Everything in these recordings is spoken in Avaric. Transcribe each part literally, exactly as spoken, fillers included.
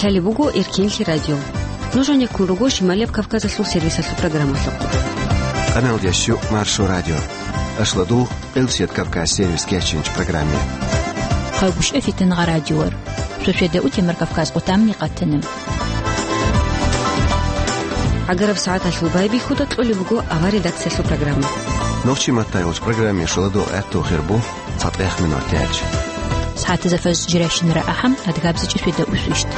Лъалеб буго Эркинлъи радио. Нуж гьанеккун руго Шималияб Кавказалъул сервисалъул программалъухъ. Къаналдящу Маршо радио. Ашладул Къилсият Кавказ сервис кечинч программе. Хъалгушев Фитингъа радиор. Шошеда утемар Кавказ къутамни къатана. ГӀагараб сагӀаталъул байбихьуда кьолеб буго авар редакциялъул программа. Нохчи маттайолч программе шуладул гӀатту хирбу. ЦатӀех минут тяч. СагӀатазда фаз жиращинара ахӀам, адгабзичӀи сведа усвищт.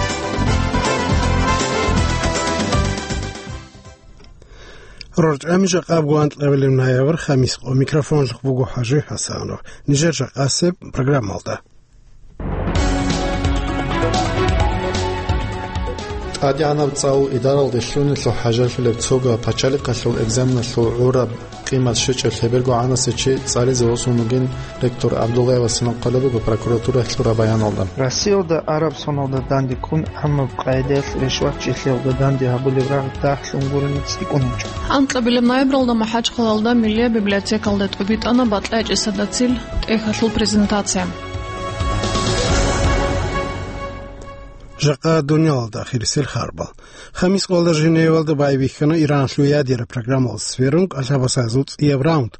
РорчӀами жакъаб гуанкьабилеб ноябрь, хамис къо, микрофонлъухъ буго ХӀажи ХӀасанов. Нижер жакъасеб программалда. ТӀадегӀанаб цӀалул идаралде лъунелъул хӀажалъулеб цого пачалихъалъул экзаменалъул гӀураб къимат щвечӀеб лъеберго гӀанасев чи цӀализе восун вугин ректор ГӀабдуллаева Синан хъвалеб буго прокуратуралъ лъураб баяналда. Россиялда араб соналда данде ккун, гӀамаб къайдаялъ ришватчилъиялда данде гьабулеб рагъ дагьлъун гурони цӀикӀкӀун гьечӀо. Анкьабилеб ноябралда МахӀачхъалалда Миллияб библиотекалда тӀубитӀана бакьа чӀесадацил тӀехьалъул презентация. Жакъа дуниялалда ахирисел харбал. Хамис къоялда Женевалда байбихьана Иранлъул ядераб программалъ сверун кӀалъабасазул цӀияб раунд.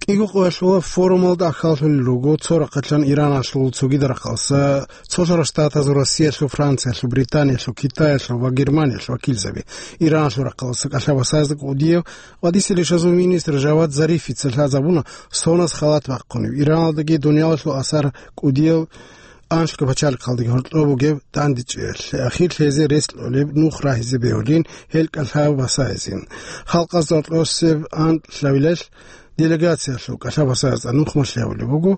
КӀиго къоялъула форумалда ахьаллъулел руго цо рахъалъан Ираналъул цогидал рахъалса, Цолъарал Штатазул, Россиялъул, Франциялъул, Британиялъул, Китаялъул ва Германиялъул вакилзаби. Иранлъул рахъалса кӀалъабасазда кӀудияв къватӀисел ишазул министр Жавад Зарифица лъазабуна соназ халат бахъунеб, Ираналдаги дуниялалъул асар кӀудияв анлъго пачалихъалдаги гьоркьоб бугеб дандечӀеялъе, ахир лъезе рес кьолеб нух рагьизе бегьулин, гьел кӀалъабасайзин. Халкъазда гьоркьосеб анкьабилелъ делегациялъул кӀалъабасазда нух малъи гьабулеб буго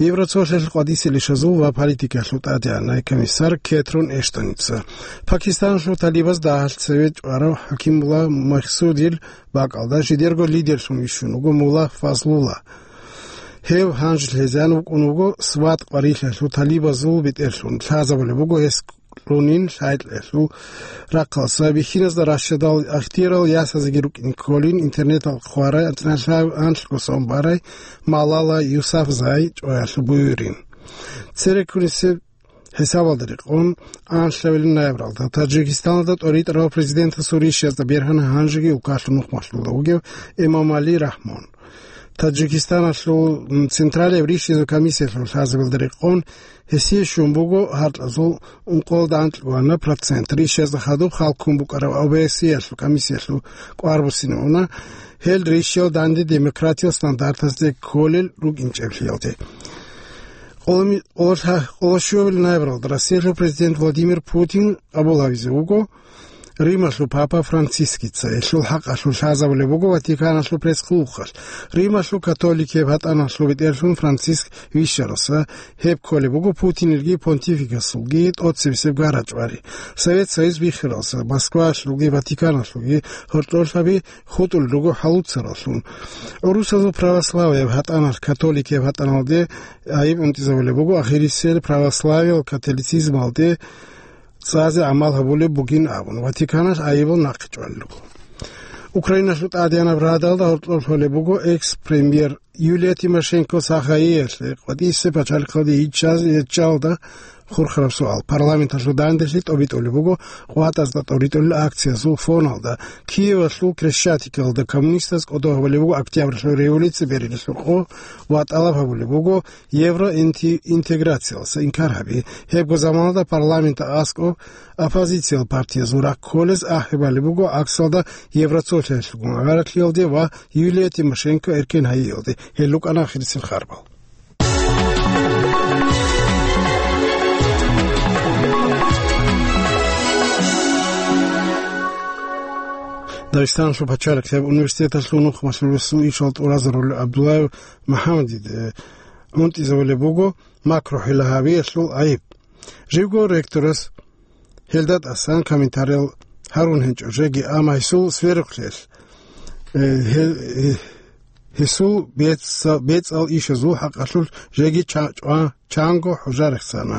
Евроцолъиялъул къватӀисел ишазул ва политикаялъул тӀадегӀанай комиссар Кетрун Эштоница. Пакистаналъул талибаз дагьалъ цеве чӀварав ХӀакимулла Махсудил бакӀалда жидерго лидерлъун вищун вуго мулла Фазлулла. Гьев гьанже лъезан вукӀун вуго Сват къварилъиялъул талибазул бетӀерлъун, лъазабулеб буго гьес кьунин лъайкьиялъул рахъалса, бихьиназда ращадал ихтиярал ясазеги рукӀин кколин, интернеталъ хъварай, анлъго сон барай Малала Юсафзай чӀваялъул буюрин. Цереккунисеб хӀисабалда рекъон, анлъабилеб ноябралда Таджикистаналда тӀоритӀарав президентасул ришязда бергьана гьанжеги улкалъул нухмалъулда вугев Эмомали Рахмон. Таджикистаналъул, м, Централияб ришазул комиссиялъул лъазабилда рекъон, гьесие щун буго гьаркьазул ункъоялда анкьго процент ришазда хадуб хал ккун букӀараб ОБСЕ-ялъул комиссиялъул кӀвар буссине уна, гьел ришиял данде демократиял стандартазде кколел рукӀинчӀеблъиялде. Къоломи-, къоло-, къоло щуабилеб ноябралда Россиялъул президент Владимир Путин къабул гьавизе вуго Рималъул папа Францискица. Гьелъул хӀакъалъулъ лъазабулеб буго Ватиканалъул пресс-клубалъ. Рималъул католикияб гьатӀаналъул бетӀерлъун Франциск вищаралса, гьеб кколеб буго Путинилги понтификасулги тӀоцебесеб гара-чӀвари. Совет Союз биххаралса, Москваялъулги Ватиканалъулги гьоркьорлъаби хутӀулел руго хӀалуцараллъун. ГӀурусазул православияб гьатӀаналъ католикияб гьатӀаналде гӀайиб унтӀизабулеб буго, ахирисел православиял католицизмалде цӀазе гӀамал гьабулеб бугин абун, Ватиканалъ гӀайибал нахъе чӀвалел руго. Украиналъул ТӀадегӀанаб Радалда гьоркьоб лъолеб буго экс-премьер Юлия Тимошенко сахаялъе къватӀисеб пачалихъалде иччаз-, иччалда хурхараб суал. Парламенталъул данделъи тӀобитӀулеб буго къватӀазда тӀоритӀулел акциязул фоналда. Киевалъул Крещатиклалда коммунистаз кӀодо гьабулеб буго Октябрьалъул революция берилалъухъ ва тӀалаб гьабулеб буго евроинти-, интеграциялдаса инкар гьаби. Гьебго заманалда парламентда аскӀоб оппозициял партиязул рахъ кколез ахӀи балеб буго гӀаксалда Евроцолъиялъулгун гӀагарлъиялде ва Юлия Тимошенко эркен гьайиялде. Гьел рукӀана ахирисел харбал. Дагъистаналъул пачалихъияб университеталъул нухмалъулесул ишал тӀуразарулев ГӀабдуллаев МухӀаммадиде унтӀизабулеб буго макрохӀила гьавиялъул гӀайиб. Живго ректорас гьелда тӀасан комментариял гьарун гьечӀо жеги, амма гьесул сверухълъиялъ, э, гье-, э, гьесул бецӀа-, бецӀал ишазул хӀакъалъулъ жеги ча-, чӀва-, чанго хӀужа рехсана.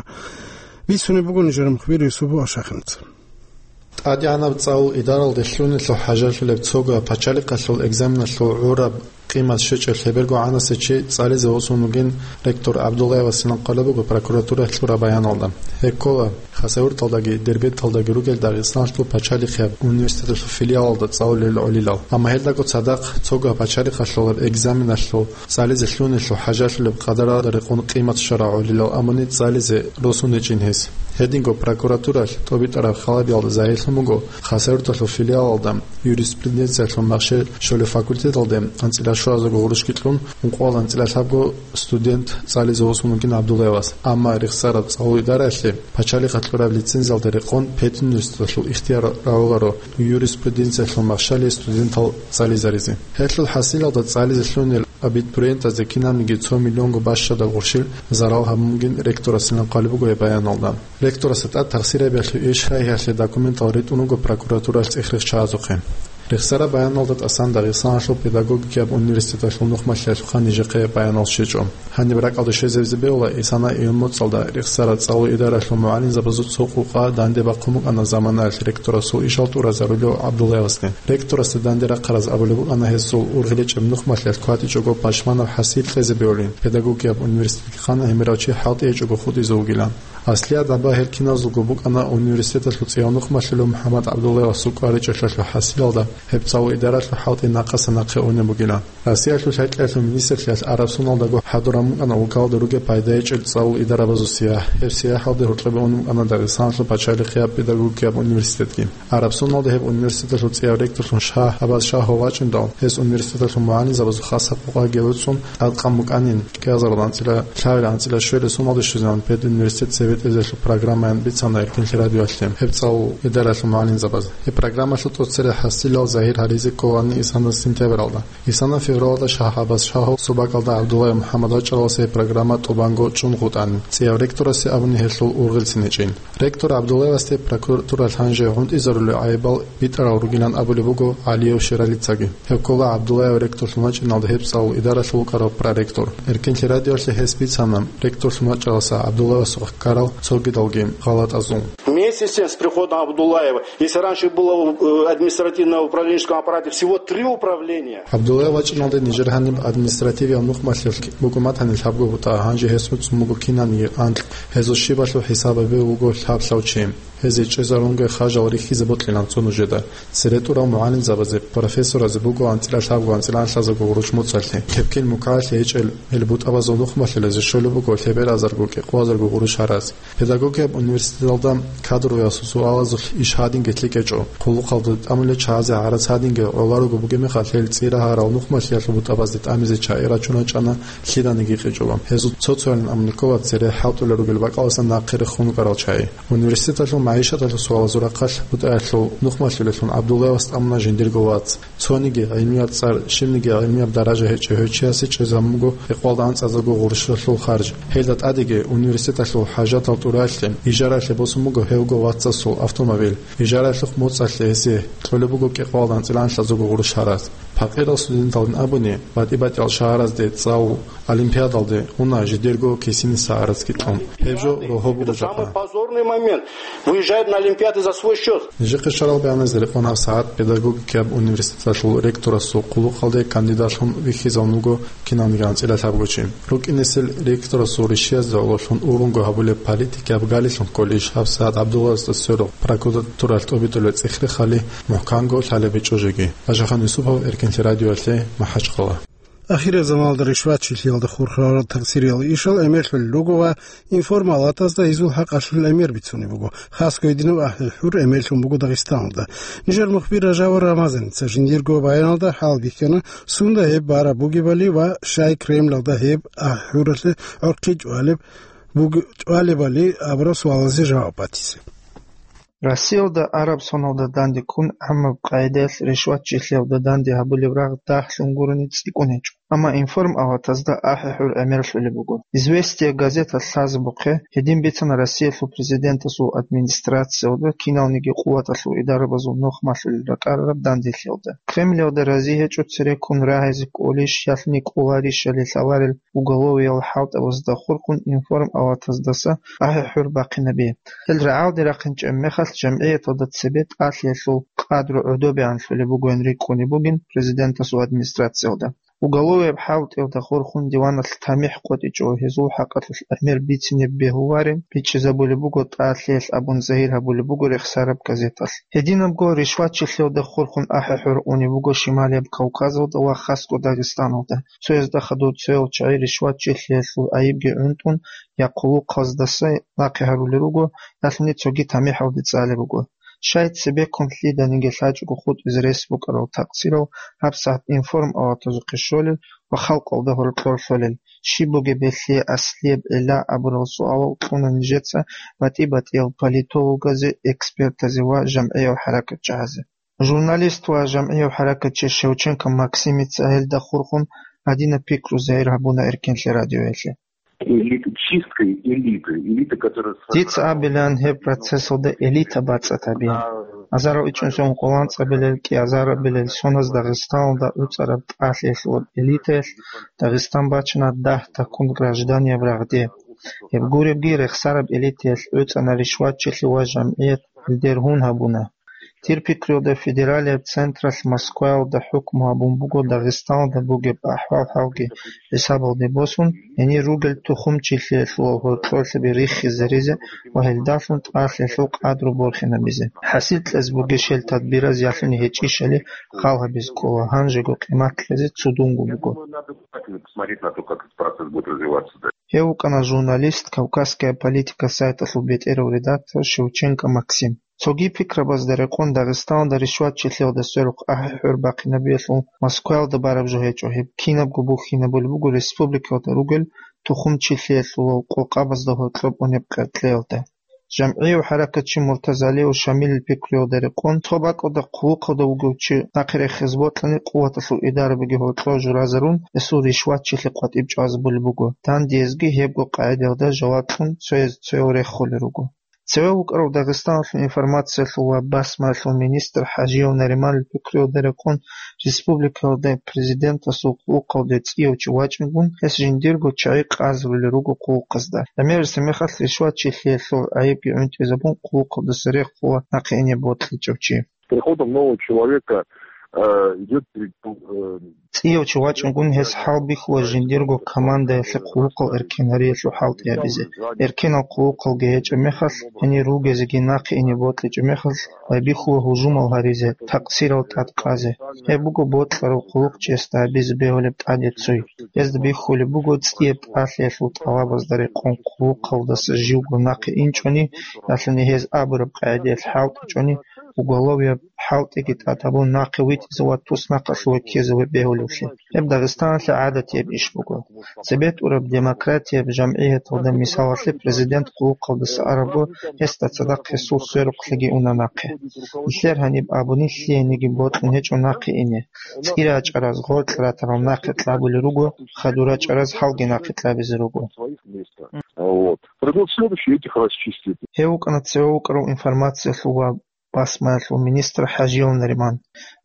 Бицунеб буго нижер мухбир Юсупов Ашахиница. ТӀадегӀанаб цӀалул идаралде лъунелъул хӀажалъулеб цого пачалихъалъул экзаменалъул гӀураб къимат щвечӀеб лъеберго гӀанасев чи цӀализе восун вугин ректор ГӀабдуллаева Синан хъвалеб буго прокуратуралъ лъураб баяналда. Гьеккола, Хасавюрталдаги Дербенталдаги ругел Дагъистаналъул пачалихъияб университеталъул филиалалда цӀалулел гӀолилал. Амма гьелдаго цадахъ цого пачалихъалъулаб экзаменалъул цӀализе лъугьунелъул хӀажалъулеб къадаралда рекъон къимат щварал гӀолилал абуни цӀализе росун гьечӀин гьес. Гьединго прокуратуралъ тӀобитӀараб халабиялда загьирлъун буго Хасавюрталъул филиалалда юриспруденциялъул махщел щолеб факультеталде анцӀила щуазарго гъурущги кьун, ункъоялда анцӀила лъабго студент цӀализе восун вугин ГӀабдуллаевас. Амма рехсараб цӀалул идараялъе пачалихъалъ кьураб лицензиялда рекъон педуниверситеталъул ихтияр рагӀуларо юриспруденциялъул махщалие студентал цӀализаризе. Гьелъул хӀасилалда цӀализе лъугьунел абитуриентазде кинабниги цо миллионго бащадаб гъурщил зарал гьабун бугин ректорасилан хъвалеб буго гьеб баяналда. Ректорасда тӀад тахсир гьабиялъул иш гьайгьиялъе документал ритӀун руго прокуратуралъ цӀех-рех чагӀазухъе. Рехсараб баяналда тӀасан Дагъистаналъул педагогикияб университеталъул нухмалъиялъухъа нижехъе баянал щвечӀо. Гьаниб ракӀалде щвезабизе бегьула ИсанаӀияб моцӀалда рехсараб цӀалул идаралъул мугӀалимзабазул цо къукъа данде бахъун букӀана заманаялъ ректорасул ишал тӀуразарулев ГӀабдуллаевасде. Ректорасда данде рахъараз абулеб букӀана гьесул ургъилечӀеб нухмалъиялъ кватӀичӀого пашманаб хӀасил кьезе бегьулин, педагогикияб университетги хъана гьимерав чи хӀалтӀи гьечӀого хутӀизе вугилан. Аслияб дагьба гьел киназулго букӀана университеталъул цӀияв нухмалъулев МухӀаммад ГӀабдуллаевасул кӀваричӀелъалъул хӀасилалда гьеб цӀалул идаралъул хӀалтӀи нахъаса нахъе унеб бугилан. Россиялъул лъай-кьеялъул министрлъиялъ Араб соналдаго хӀадураб букӀана улкалда ругеб пайда гьечӀел цӀалул идарабазул сияхӀ. Гьеб сияхӀалде гьоркьобе унеб букӀана Дагъистаналъул пачалихъияб педагогикияб университетги. Араб соналда гьеб университеталъул цӀияв ректорлъун Шагь Абаз Шагьов вачӀиндал, гьес университеталъул мугӀалимзабазул хасаб къокъаги гьуцӀун тӀадкъан букӀанин, кӀиазарулда анцӀила лъабилеб анцӀила щуабилеб соналде щвезегӀан педуниверситет цебетӀезелъул программаян бицана Эркенлъи радиоялъе гьеб цӀалул идаралъул мугӀалимзабаз. Гьеб программалъул тӀоцере хӀасилал загьир гьаризе кколани ИсанаӀ сентябралда. ИсанаӀ февралалда Шагь Абаз Шагьов субакалда ГӀабдуллаев МухӀаммад вачӀаралас гьеб программа тӀубанго чӀун хутӀани, цӀияв ректорасе абуни гьелъул ургъелцин гьечӀин. Ректор ГӀабдуллаевасде прокуратуралъ гьанже гӀунтӀизарулел гӀайибал битӀарал ругилан абулеб буго ГӀалиев Ширалицаги. Гьев ккола ГӀабдуллаев ректорлъун вачӀиналда гьеб цӀалул идаралъул вукӀарав проректор. Эркенлъи радиоялъе гьес бицана ректорлъун вачӀаралдаса ГӀабдуллаевасухъе ккарал цогидалги гъалатӀазул. Вместе с тем, с приходом Абдуллаева, если раньше было, э, административное управленческом аппарате всего три управления. ГӀабдуллаев вачӀиналде нижер гьаниб административиял нухмалъиялъ буго матани лъабго бутӀа, гьанже гьес гьуцӀун буго кинабниги анкь. Гьезул щибалъул хӀисаб гьабизе вуго лъаб-лъав чи. Гьезие чӀезарунго хажал рихьизе бокьилан цо нужеда. Цере тӀурал мугӀалимзабазе, профессоразе буго анцӀила лъабго анцӀила анлъазарго гъурущ моцӀалъе. Тепкил мукӀаялъе гьечӀел гьел бутӀабазул нухмалъиялъе щолеб буго лъеберазарго кӀикъоязарго гъурущ гьараз. Педагогияб университеталда кадровый суалазул иш гьадинги лъикӀ гьечӀо. Хъулухъалда тӀамулел чагӀазе гӀарац гьадинги гӀоларого бугеб мехалъ, гьел цӀи рагьарал нухмалъиялъул бутӀабазде тӀамизе чагӀи рачуначӀана лъиданиги кьичӀого. Гьезул цо-цоян абулеб ккола цере хӀалтӀулел ругел бакӀалдасан нахъе рехун рукӀарал чагӀи. Университеталъул магӀишаталъул суалазул рахъалъ бутӀаялъул нухмалъулелъун ГӀабдуллаевас тӀамуна жиндирго вац. Цониги гӀилмияб цӀар, щибниги гӀилмияб даража гьечӀев гьев чиясе чӀезабун буго кӀикъоялда анцӀазарго гъурущалъул харж. Гьелда тӀадеги университеталъул хӀажатал тӀуралъе, ижараялъе босун буго гьевго вацасул автомобиль. Ижараялъухъ моцӀалъе гьесие кьолеб буго кӀикъоялда анцӀила анлъазарго гъурущ гьараз. Пакъирал студенталдин абуни, батӀи-батӀиял шагьаразде цӀалул олимпиадалде уна жидерго кисиниса гӀарацги кьун. Гьеб жо рогьо буго жакъа. Это самый позорный момент. Выезжают на олимпиады за свой счёт. Нижехъе щварал бегьаназде рекъон гьабсагӀат педагогикияб университеталъул ректорасул хъулухъалде кандидатлъун вихьизавун вуго кинавниги анцӀила лъабго чи. РукӀинесел ректорасул ришшиязда гӀололъун ургъунго гьабулеб политикияб галилъун кколищ гьабсагӀат ГӀабдуллаевасда сверухъ прокуратуралъ тӀобитӀулеб цӀех-рехали мухӀканго лъалеб гьечӀо жеги. Бажахан Юсупов, Эркенлъи радиоялъе, МахӀачхъала. Ахираб заманалда ришватчилъиялда хурхарал такъсириял ишал гӀемерлъулел руго ва информалатазда гьезул хӀакъалъулъ гӀемер бицунеб буго. Хасго гьединаб ахӀи-хӀур гӀемерлъун буго Дагъистаналда. Нижер мухбир Ражабов Рамазаница жиндирго баяналда хӀалбихьана, сунда гьеб бараб бугебали ва щай Кремлалда гьеб ахӀи-хӀуралъе гӀорхъи чӀвалеб буг-, чӀвалебали абураб суалазе жаваб батизе. Россиялда араб соналда данде ккун гӀаммаб къагӀидаялъ ришватчилъиялда данде гьабулеб рагъ дагьлъун гурони цӀикӀкӀун гьечӀо. Амма информалатазда ахӀи-хӀур гӀемерлъулеб буго. «Известия» газета лъазабухъе гьедин бицана Россиялъул президентасул администрациялда киналниги къуваталъул идарабазул нухмалъулел ракӀарараб данделъиялда. Кремлалда рази гьечӀо цереккун рагьизе кӀолищ, ялъни кӀоларищали лъаларел уголовиял хӀалтӀабазда хурхун информалатаздаса ахӀи-хӀур бахъинабе. Гьел рагӀалде рахъинчӀеб мехалъ, жамгӀияталда цебе тӀалъиялъул къадру гӀодобегӀанлъулеб бугоян рикӀкӀунеб бугин президентасул администрациялда. Уголовияб хӀалтӀиялда хурхун диваналъ тамихӀ къотӀичӀо, гьезул хӀакъалъулъ гӀемер бицине бегьуларин бичӀчӀизабулеб буго тӀалъиялъ абун загьир гьабулеб буго рехсараб газеталъ. Гьединабго ришватчилъиялда хурхун ахӀи-хӀур унеб буго Шималияб Кавказалда ва хасго Дагъистаналда. Цоязда хадур цоял чагӀи ришватчилъиялъул гӀайибги гӀунтӀун, я хъулухъаздаса нахъе гьарулел руго, ялъуни цоги тамихӀалде цӀалеб буго. Щай цебеккун лъиданиги лъачӀого хутӀизе рес букӀарал такъсирал гьабсагӀат информаватазухъе щолел ва халкъалда гьоркьор лъолел? Щиб бугеб гьелъие аслияб гӀилла абурал суалал кьуна нижеца батӀи-батӀиял политологазе, экспертазе ва жамгӀиял хӀаракатчагӀазе. Журналист ва жамгӀияв хӀаракатчи Шевченко Максимица гьелда хурхун гьадинаб пикру загьир гьабуна Эркенлъи радиоялъе. Элит-, чисткой элиты, элита, которая сформировалась. Дица абилан гьеб процессалда элита бацӀцӀад гьабин. Азарал ичӀнусун къоланцӀабилел, кӀиазарабилел соназ Дагъистаналда гӀуцӀараб тӀалъиялъул элитаялъ Дагъистан бачана дагь такун гражданияб рагъде. Гьеб гуребги, рехсараб элитаялъ гӀуцӀана ришватчилъи ва жамгӀият гьелде ргьун гьабуна. Дир пикруялда федералияб централъ Москваялда хӀукму гьабун буго Дагъистаналда бугеб ахӀвал-хӀалги хӀисабалде босун, гьенир ругел тухумчилъиялъул гьоркьорлъаби риххизаризе ва гьелдалъун тӀалъиялъул къадру борхинабизе. ХӀасил кьезе бугищ гьел тадбираз, ялъуни гьечӀищали хал гьабизе ккола, гьанжего къимат кьезе цудунго буго. Надо внимательно посмотреть на то, как этот процесс будет развиваться дальше. Гьев вукӀана журналист, «Кавказская политика» сайталъул бетӀерав редактор Шевченко Максим. Цоги пикрабазда рекъон Дагъистаналда ришватчилъиялда сверухъ ахӀи-хӀур бахъинабиялъул Москваялда бараб жо гьечӀо, гьеб кинабго бухьинабулеб буго республикалда ругел тухумчилъиялъулал къокъабазда гьоркьоб унеб къеркьеялда. ЖамгӀияв хӀаракатчи Муртазалиев Шамилил пикруялда рекъон, цо бакӀалда хъулухъалда вугев чи нахъе рехизе бокьани, къуваталъул идарабиги гьоркьор журазарун, гьесул ришватчилъи къватӀиб чӀвазабулеб буго. Дандиязги гьебго къагӀидаялда жаваб кьун цояз цоял реххулел руго. Цеве вукӀарав Дагъистаналъул информациялъул ва басмаялъул министр ХӀажиев Нариманил пикруялда рекъон, республикалда президентасул хъулухъалде цӀияв чи вачӀингун, гьес жиндирго чагӀи къазарулел руго хъулухъазда. ГӀемерисеб мехалъ ришватчилъиялъул гӀайибги гӀунтӀизабун, хъулухъалдаса рехула нахъе ине бокьичӀев чи. С приходом нового человека, э, идёт перед-, э, ЦӀияв чи вачӀунгун гьес хӀалбихьула жиндирго командаялъе хъулухъал эркенариялъул хӀалтӀи гьабизе. Эркенал хъулухъалги гьечӀеб мехалъ, гьенир ругезеги нахъе ине бокьичӀеб мехалъ, байбихьула гьужумал гьаризе, такъсирал тӀадкъазе. Гьеб буго бокьарав хъулухъчиясда гьабизе бегьулеб тӀаде цой. Гьезда бихьулеб буго цӀияб тӀалъиялъул тӀалабазда рекъон хъулухъалдаса живго нахъе инчӀони, ялъуни гьез абураб къагӀидаялъ хӀалтӀичӀони, уголовияб хӀалтӀиги тӀад гьабун нахъе витӀизе ва туснахъалъуве ккезе бегьулевлъи. Гьеб Дагъистаналъе гӀадатияб иш буго. Цебе тӀураб демократияб жамгӀияталда, мисалалъе, президент хъулухъалдаса арабго, гьесда цадахъ гьесул сверухълъиги уна нахъе. Нилъер гьаниб абуни лъиениги бокьун гьечӀо нахъе ине. ЦӀира чӀараз гъоркь ратарал нахъе кьабулел руго, хадура чӀараз гьалги нахъе кьабизе руго. Вот. Придёт следующий, этих расчистит. Гьев вукӀана цеве вукӀарав информациялъул ва басмаялъул министр ХӀажиев Нариман.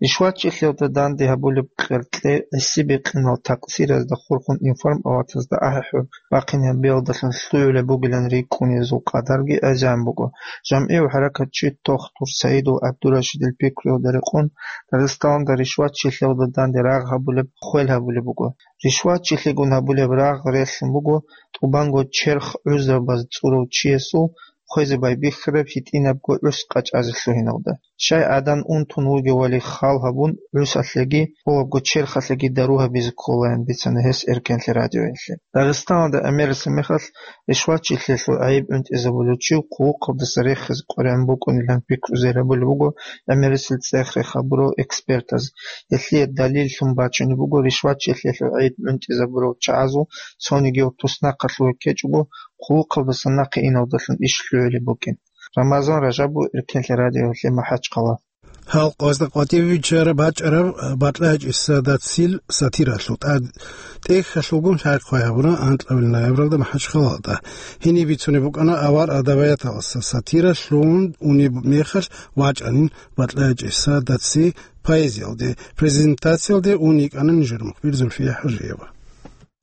Ришватчилъиялда данде гьабулеб къеркье гӀиси-бикъинал такъсиразда хурхун информаватазда ахӀи-хӀур бахъинабиялдалъун лъугӀулеб бугилан рикӀкӀунезул къадарги гӀезегӀан буго. ЖамгӀияв хӀаракатчи Тохтур Саидов ГӀабдурашидил пикруялда рекъон, Дагъистаналда ришватчилъиялда данде рагъ гьабулеб хвел гьабулеб буго. Ришватчилъигун гьабулеб рагъ релълъун буго тӀубанго черх гӀузабаз цӀурав чиясул хвезе байбихьараб гьитӀинабго гӀус къачӀазе лъугьиналда. Щай гӀадан унтун вугевали хал гьабун, гӀусалъеги гьолабго черхалъеги дару гьабизе кколаян бицана гьес Эркенлъи радиоялъе. Дагъистаналда гӀемерисеб мехалъ ришватчилъиялъул гӀайиб гӀунтӀизабулев чи хъулухъалдаса рехизе къваригӀун букӀунилан пикру загьир гьабулеб буго гӀемерисел цӀех-рех гьабурал экспертаз. Гьелъие далиллъун бачунеб буго ришватчилъиялъул гӀайиб гӀунтӀизабурал чагӀазул цонигияв туснахъалъуве ккечӀого, хъулухъалдаса нахъе иналдалъун иш лъугӀулеб букӀин. Рамазан Ражабов, Эркенлъи радиоялъе, МахӀачхъала. Гьал къвазда къватӀиве биччараб бачӀараб БатӀлай ГьечӀеб Саадатил сатиралъул тӀад тӀехьалъулгун лъай-хъвай гьабуна анкьабилеб ноябралда МахӀачхъалалда. Гьениб бицунеб букӀана авар адабияталдаса сатира лъугӀун унеб мехалъ вачӀанин БатӀлай ГьечӀеб Саадатил поэзиялде. Презентациялде ун йикӀана нижер мухбир Зульфия ХӀажиева.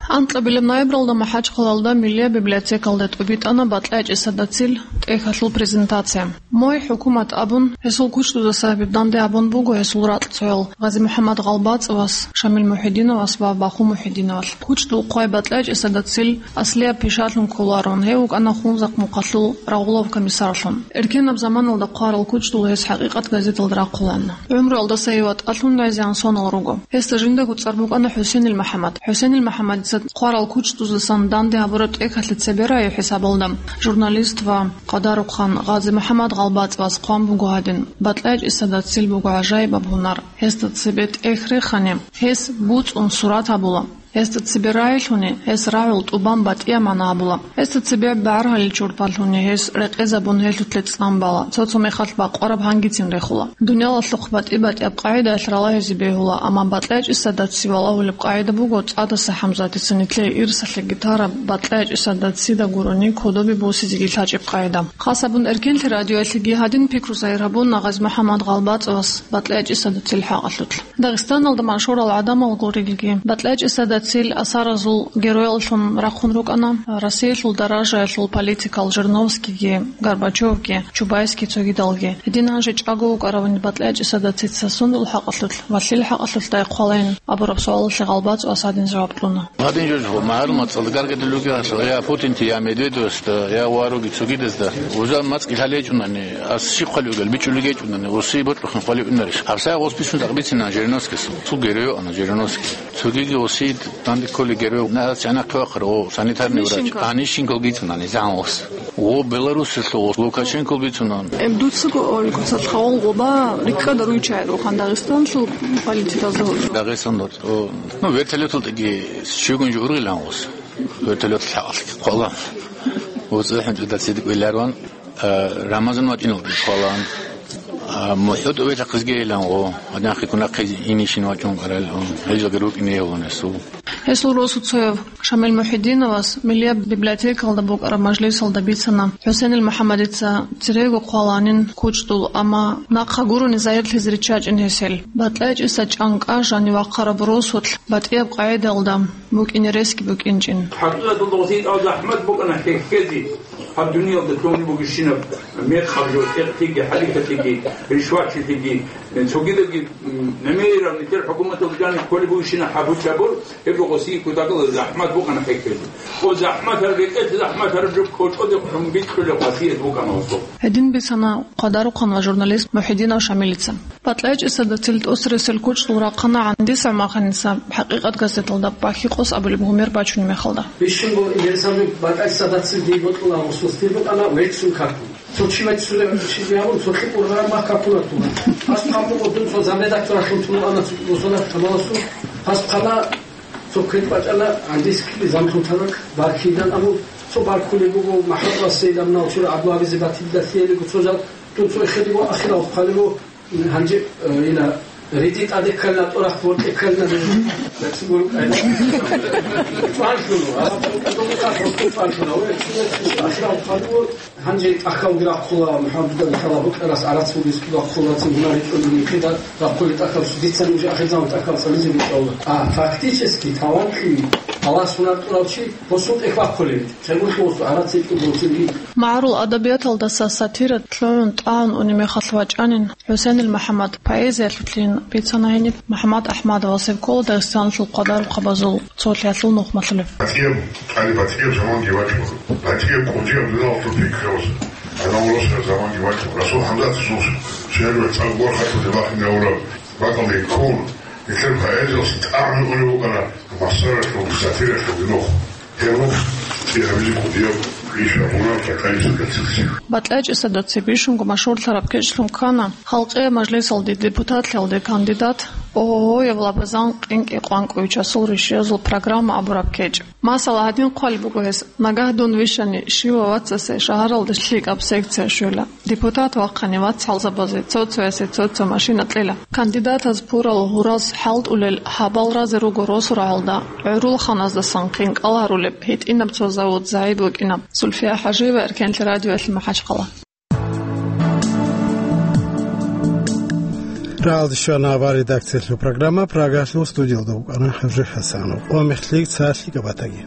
Анкьабилеб ноябралда МахӀачхъалалда Миллияб библиотекалда тӀубитӀана БатӀлячӀ ГӀисада цил тӀехьалъул презентация. Мой хӀукумат абун, гьесул кучдузаса гьеб данде гьабун буго гьесул ракьцӀоял ГъазимухӀаммад ГъалбацӀовас, Шамил МухӀидиновас ва Баху МухӀидиновал. Кучдул хъвай БатӀлячӀ ГӀисада цил аслияб пишалъун кколарун, гьев вукӀана Хунзахъ-Мухъалъул рагъулав комиссарлъун. Эркенаб заманалда хъварал кучдул гьес ХӀакъикъат газеталда рахъулаана. ГӀумруялдаса гьев ватӀалъун гӀезегӀан сонал руго. Гьесда жиндаго цӀар букӀана ХӀусенил МахӀаммад. ХӀусенил МахӀаммадица хъварал кучдузасан данде гьабураб тӀехьалъе цебе рагӀи хӀисабалда журналист ва къадарухъан ГъазимухӀаммад ГъалбацӀовас хъван буго гьадин: «БатӀлячӀ ГӀисада цил буго гӀажаибаб гьунар. Гьесда цебе тӀехь рехани, гьес буцӀун сурат гьабула. Гьесда цебе рагӀилъуни, гьес рагӀул тӀубан батӀияб магӀна гьабула. Гьесда цебе бегӀергьалил чурпалъуни, гьес рекъезабун гьелъулъе цӀан бала, цо-цо мехалъ бакъвараб гьангицин рехула. Дуниялалъухъ батӀи-батӀияб къагӀидаялъ ралагьизе бегьула, амма БатӀлячӀ ГӀисада ци валагьулеб къагӀида буго ЦӀадаса ХӀамзатица нилъее ирсалъеги тараб, БатӀлячӀ ГӀисада цида гурони кодобе босизеги лъачӀеб къагӀида». Хасабун Эркенлъи радиоялъеги гьадин пикру загьир гьабуна ГъазимухӀаммад ГъалбацӀовас БатӀлячӀ ГӀисада цил хӀакъалъулъ. Дагъистаналда машгьурал гӀадамал гурелги, БатӀлячӀ ГӀисада цил асаразул герояллъун рахъун рукӀана Россиялъул даражаялъул политикал Жириновскийги, Горбачевги, Чубайский цогидалги. Гьедин гьанже чӀаго вукӀаравани БатӀлячӀ ГӀисада цица сундул хӀакъалъулъ ва лъил хӀакъалъулъ хӀалхӀин абураб суалалъе ГъалбацӀовас гьадин жаваб кьуна. Гьадин жо магӀарул мацӀалда гаргадулев вугев гьалъ, я Путинте, я Медведевасда, я ва руги цогидазда. Уза мацӀги лъалечӀунани, ас щиб хъвалев вугел, бичӀчӀулел гьечӀунани, Россия бокьухъан хъвалев унарищ? ГьабсагӀат гъос бицун тӀакъ бицина Жириновскийас. Цо герой вукӀана Жириновский. Цогиги Россиялда данде кколел герой, на, гьас гӀенахъе вахъарав, о, санитарный врач. Анищенко. Анищенко бицунани загьан гъос. О, Беларусиялъул гъос, Лукашенко бицунан. Эб дуцаго, ой, куцалъ хавал гъоба рикӀкӀад руй чагӀи ругоха Дагъистаналъул политикалда гьоркьоб. Дагъистаналда, о, ну, вертолёталдаги щугун жо ургъилан гъос. Вертолёталъ хӀакъалъ кколан. ВуцӀцӀи хӀинчӀуда цидикь виларван, а, Рамазан вачӀиналда кколан. А, мухӀу тӀубилъахъизги илан гъо, гьадинахъе кунахъе инищин вачӀун къарал, гьел жо рукӀине гьавун гьесул. Гьесул росуцояв Шамил МухӀидиновас Миллияб библиотекалда букӀараб мажлисалда бицана ХӀусенил МухӀаммадица церего хъваланин кучдул, амма нахъа гурони загьирлъизе риччачӀин гьесел. БатӀлячӀ ГӀиса чӀанкӀа жанив вахъараб росулъ батӀияб къагӀидаялда букӀине ресги букӀинчӀин. ХӀакъикъаталда гъосие тӀад захӀмат букӀана хӀехьезе гьаб дуниялда лъугьунеб бугебщинаб мекъаб жо, тӀекълъиги, хӀалихьалъиги, ришватчилъиги, цогидаги, м, гӀемераб нилъер хӀукуматалда жаниб кколеб бугебщинаб гьаб-гьучабур, гьеб жо гъосие кутакалда захӀмат букӀана хӀехьезе. О, захӀмат гьараб рекӀелъ, захӀмат гьараб жо кочӀоде хъун бикьулеб хасият букӀана гьесул. Гьедин бицана къадарухъан ва журналист МухӀидинов Шамилица. БатӀлячӀ ГӀисада цил тӀоцересел кучдул рахъана ГӀандиса МахӀаниса ХӀакъикъат газеталда Пахьи-къос абулеб гьумер бачунеб мехалда. Бищунго Идрисаби БатӀлячӀ ГӀисада цил дие бокьула гъусул стил букӀана веццун какун. Цо чи веццулев чи гьавун, цо лъикӀ ургъараб мах какунар тула. Гьас хъван буго дун цо замредакторалъун тун вукӀана цо бусурбаб тамаласул. Гьас хъвана, цо квен бачӀана, гӀандискили замлъун танак баркилан абун, цо баркулеб буго, МахӀмуд ва Сейдамнал чура абуабизе батилда лъиялиго цо жал, дун цо эхедего ахирал хъвалего, Гьанже, э, ина, риди тӀаде ккалина, тӀорахъ боркье ккалина, чӀванлъуна, а, ахирал хъалуго, гьанже тӀахьалги рахъула, МухӀаммадида хала букӀарас гӀарац бугес рахъула, цин гьуна ричӀунги хида рахъули тӀахьал, дица нуж ахирзаман тӀахьал цӀализе битӀавла. А, фактически, талантлъи, Аллагьас гьунар кьурав чи, босун тӀехь бахъулеб, чергулъугъус гӀарац ричӀун босиги. МагӀарул адабияталдаса сатира лъугӀун тӀагӀун унеб мехалъ вачӀанин, ХӀусенил МухӀаммад поэзиялъулъин бицана гьениб МухӀаммад АхӀмадовас, гьев ккола Дагъистаналъул къадарухъабазул цолъиялъул нухмалъулев. БатӀияб, тӀаде батӀияб заманги вачӀун, батӀияб кӀудияб дуниялалъул пикруялъ гӀадамал росараб заманги вачӀун, Расул ХӀамзатовасул шигӀралъул цӀакъ борхаталде бахине гьавураб бакӀалде ккун, нилъер поэзиялъ тӀагӀун унев вукӀана массаралъул сатиралъул нух. Гьеб гьеб гьабизе кӀудияб иш гьабуна Кьакьаниса Гацирцев. БатӀлячӀ ГӀисада цебе бищунго машгьурлъараб кечӀлъун ккана Халкъияб мажлисалде депутатлъиялде кандидат, ООО-яб Лабазан КъинкӀи Къванкъовичасул ришиязул программа абураб кечӀ. Масала, гьадин хъвалеб буго гьес: «Нагагь дун вищани, щивав вацасе шагьаралда лъикӀаб секция щвела. Депутат вахъани, вацгӀалзабазе цо-цоясе цо-цо машина кьела». Кандидатаз пурал гьураз хӀалтӀулел гьабал разе руго росу рагӀалда, гӀурул ханаздасан хинкӀал гьарулеб гьитӀинаб цо завод загьид вукӀина. Зульфия ХӀажиева, Эркенлъи радиоялъ, МахӀачхъала. Жалде щвана авар редакциялъул программа, Прагалъул студиялда вукӀана ХӀажи ХӀасанов. Ва мехлъи цалъи кабатаги.